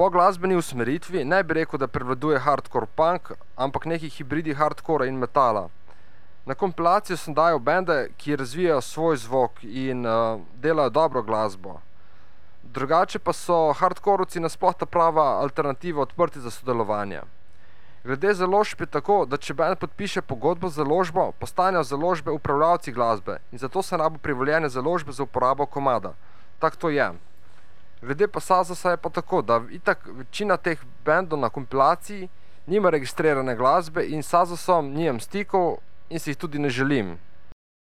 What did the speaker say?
Po glasbeni usmeritvi ne bi rekel, da prevladuje hardcore punk, ampak neki hibridi hardcora in metala. Na kompilacijo sem dajal bende, ki razvijajo svoj zvok in delajo dobro glasbo. Drugače pa so hardcorovci nasploh ta prava alternativa, odprti za sodelovanje. Glede založb je tako, da če band podpiše pogodbo z založbo, postanejo založbe upravljavci glasbe in zato se rabo privoljene založbe za uporabo komada. Tak to je. Glede pa Sazasa je pa tako, da itak večina teh bandov na kompilaciji nima registrirane glasbe in s Sazasom nimam stikov in si jih tudi ne želim.